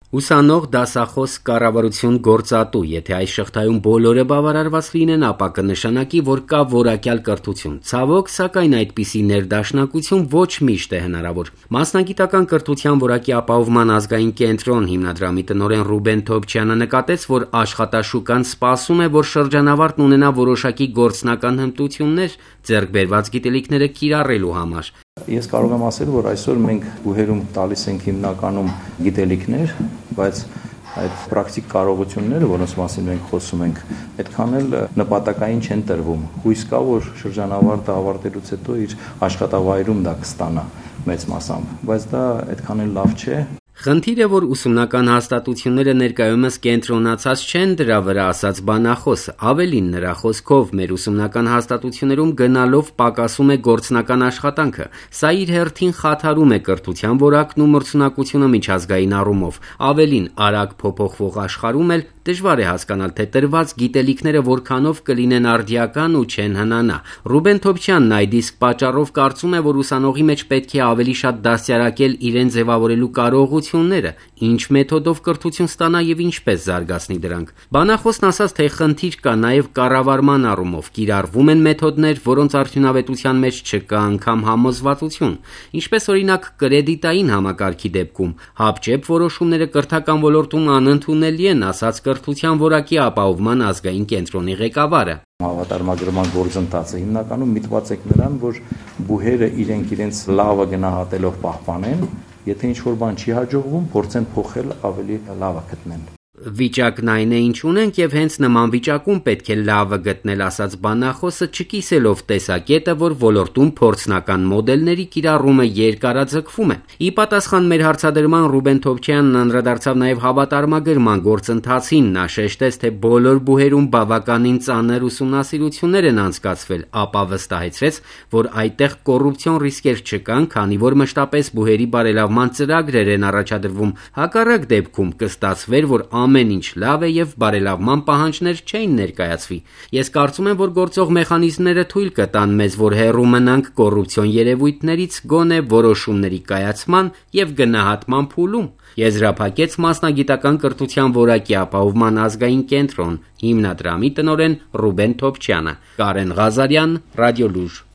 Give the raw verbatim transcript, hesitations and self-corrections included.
Ուսանող, դասախոս, կառավարություն, գործատու, եթե այս շղթայում բոլորը բավարարված լինեն, ապա կնշանակի, որ կա որակյալ կրթություն։ Ցավոք, սակայն այդպիսի ներդաշնակություն ոչ միշտ է հնարավոր։ Մասնագիտական կրթության որակի ապահովման ազգային կենտրոն հիմնադրամի տնօրեն Ռուբեն Թոփչյանը նկատեց, որ աշխատաշուկան սպասում է, որ շրջանավարտն ունենա որոշակի գործնական հմտություններ ձեռք բերված գիտելիքները կիրառելու համար։ Ես կարող եմ ասել, որ այսօր մենք բուհերում տալիս ենք հիմնականում գիտելիքներ, բայց այդ պրակտիկ կարողությունները, որոնց մասին մենք խոսում ենք, այդքան էլ նպատակային չեն տրվում։ Հույս կա, որ շրջանավարտը ավարտելուց հետո իր աշխատավայրում դա կստանա մեծ մասամբ, բայց դա այդքան էլ լավ չէ։ Խնդիրը, որ ուսումնական հաստատությունները ներկայումս կենտրոնացած չեն դրա վրա, ասաց բանախոսը, ավելին նրա խոսքով մեր ուսումնական հաստատություններում գնալով պակասում է գործնական աշխատանքը, սա իր հերթին խաթարում է կրթության որակն ու մրցունակությունը միջազգային առումով, ավելին արագ փոփոխվող աշխարհում էլ դժվար է հասկանալ, թե տրված գիտելիքները որքանով կլինեն արդիական ու չեն հնանա։ Ռուբեն Թոփչյանն այդ իսկ պատճառով կարծում է, որ ուսանողի մեջ պետք է ավելի շատ դաստիարակել իրեն ձևավորելու կարողությունները, ինչ մեթոդով կրթություն ստանա եւ ինչպես զարգացնի դրանք։ Բանախոսն ասաց, թե խնդիր կա նաեւ կառավարման առումով, կիրառվում են մեթոդներ, որոնց արդյունավետության մեջ չկա անգամ համոզվածություն, ինչպես օրինակ կրեդիտային համակարգի դեպքում։ Հապճեպ որոշումները կրթական ոլորտում անընդունելի են, ասաց կրթության որակի ապահովման ազգային կենտրոնի ղեկավարը։ Հավատարմագրման գործընթացը հիմնականում միտված է նրան, որ բուհերը իրենք իրենց լավը գնահատելով պահպանեն, եթե ինչ-որ բան չի հաջողվում, փորձեն փոխել ավելի լավը գտնեն։ Վիճակն այն է, ինչ ունենք, եւ հենց նման վիճակում պետք է լավը գտնել, ասաց բանախոսը, չկիսելով տեսակետը, որ ոլորտում փորձնական մոդելների կիրառումը երկարաձգվում է։ Ի պատասխան մեր հարցադրման Ռուբեն Թոփչյանն անդրադարձավ նաեւ հավատարմագրման գործընթացին, նա շեշտեց, թե բոլոր բուհերում բավականին ծանր ուսումնասիրություններ են անցկացվել, ապա վստահեցրեց, որ այդտեղ կոռուպցիոն ռիսկեր չկան, քանի որ մշտապես բուհերի բարելավման ծրագրեր են առաջադրվում։ Հակառակ դեպքում կստացվեր, որ ամեն ինչ լավ է եւ բարելավման պահանջներ չէին ներկայացվի։ Ես կարծում եմ, որ գործող մեխանիզմները թույլ կտան մեզ, որ հեռու մնանք կոռուպցիոն երևույթներից, գոնե որոշումների կայացման եւ գնահատման փուլում, եզրափակեց մասնագիտական կրթության որակի ապահովման ազգային կենտրոն հիմնադրամի տնօրեն Ռուբեն Թոփչյանը։ Կարեն Ղազարյան, Ռադիոլուր։